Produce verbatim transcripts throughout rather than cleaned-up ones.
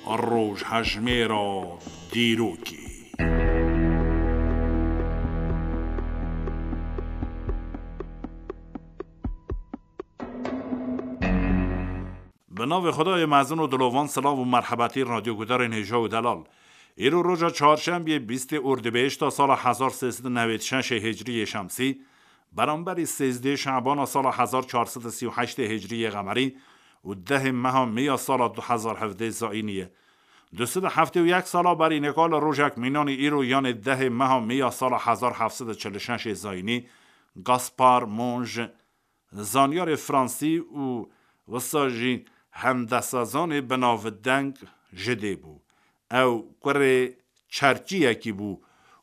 Rojhejmêra dîrokê. Bi navê Xwedayê mezin û dilovan, silav û merhebetî radyogudarên hêja û delal. Îro roja çarşembiyê bîstê Ordibêhişta sala hezar sê sed û newêd şeşê hicriyê şemsî, beramberî sêzdê Şebana sala hezar çar sed û sî û heştê hicriyê qemerî û dehê meha Mîya sala du hezar hevdeh zayînî ye. Du sed û heftê û yek sala berî nika li rojek mînanî îro, yanê dehê meha Mîya sala hezar heft sed û çil û şeşê zayînî, Gaspar Monge, zanyarê fransî û wisa jî hendesazanê binavdeng ji dê bû. Ew kurê çerçiyekî bû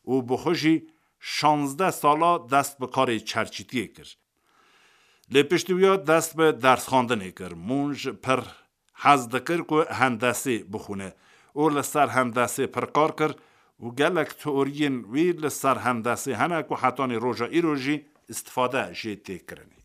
û bi xwe jî şazdeh sala dest bi karê çerçîtiyê kir. Lê piştî wiya dest bi dersxwendinê kir. Monge pir hez dikir ku hendesê bixwîne û li ser hendesê pir kar kir û gelek teoriyên wî li ser hendesê hene ku hetanî roja îro jî îstifade jê tê kirinê.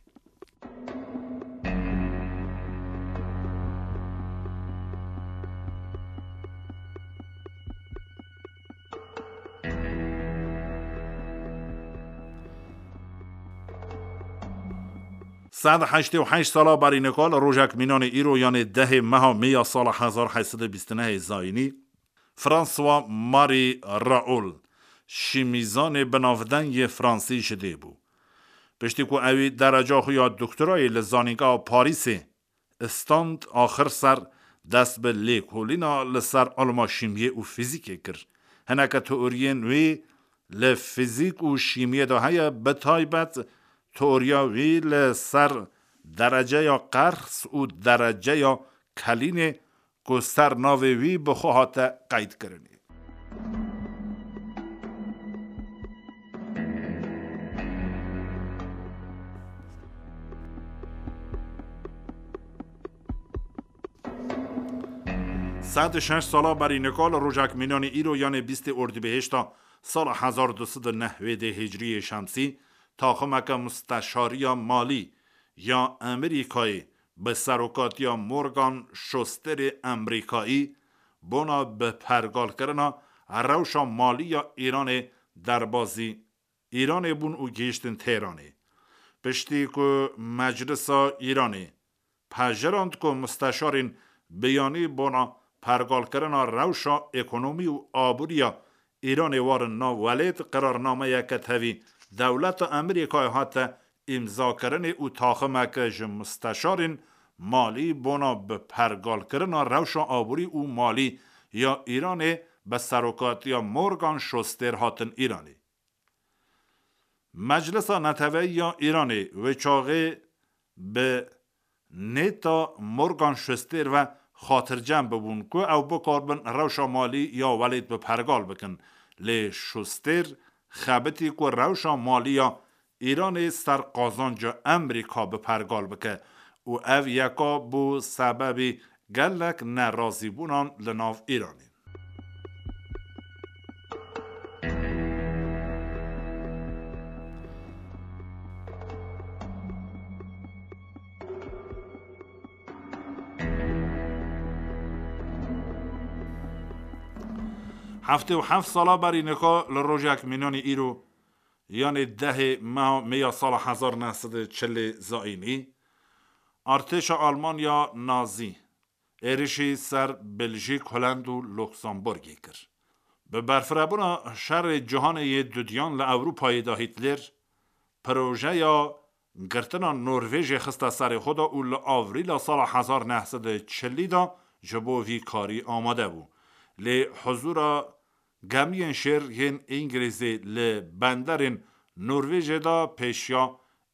Sed heştê û heşt sala berî nika li rojek mînanê îro, yanê dehê meha Mê ya sala hezar heyt sed û bîst û nehê zayînî, François Marie Raoult, şîmîzanê binavdeng yê fransî ji dê bû. Piştî ku ewî dereca xwe ya doktorayê li Zanîngeha Parîsê stand, axir ser dest bi lêkolîna li ser ilma şîmiyê û fîzîkê kir. Hineke teoriyên wî li fîzîk û şîmiyê de heye, bi taybet teoriya wî li ser dereceya qers û dereceya kelînê ku ser navê wî bi xwe hate qeydkirinê. Sed û şeş sala berî nika li rojek mînanê îro, yanê bîstê Ordibêhişta sala hezar du sed û newêdê hicriyê şemsî, taximeke musteşariya malî ya Amerîkayê bi serokatiya Morgan Schusterê Amerîkayî bona bi pergalkirina rewşa malî ya Îranê derbazî Îranê bûn û gihîştin Tehranê. Piştî ku Meclisa Îranê pejirand ku musteşarên biyanî bona pergalkirina rewşa ekonomî û aboriya Îranê warin nav welêt, qirarnameyeke tevî dewleta Amerîkayê hate îmzakirinê û taximeke ji musteşarên malî bona bi pergalkirina rewşa aborî û malî ya Îranê bi serokatiya Morgan Schuster hatin Îranê. Meclisa Neteweyî ya Îranê wê çaxê bi nêta Morgan Schuster ve xatircem bibûn ku ew bikaribin rewşa malî ya welêt bi pergal bikin. Lê Schuster xebitî ku rewşa malî ya Îranê ser qazanca Amerîka bi pergal bike û ev yeka bû sebebî gelek nerazîbûnan li nav Îranê. Heftê û heft sala berî nika li rojek mînanî îro, yanê dehê meha Mê ya sala hezar neh sed û çilê zayînî, artêşa Almanya Nazî êrişî ser Beljîk, Holland û Luksemburgê kir. Bi berfirebûna şerê cîhanê yê dudiyan li Ewropayê de Hîtler projeya girtina Norvêjê xiste serê xwe de û li Avrîla sala hezar neh sed û çilî de ji bo vî karî amade bû. Lê huzûra gemiyên şêr yên Îngilîzê li benderên Norvêjê de pêşiya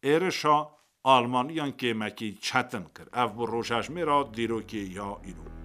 êrişa Almaniyan kêmekî çetin kir. Ev bû rojhejmêra dîrokê ya îro.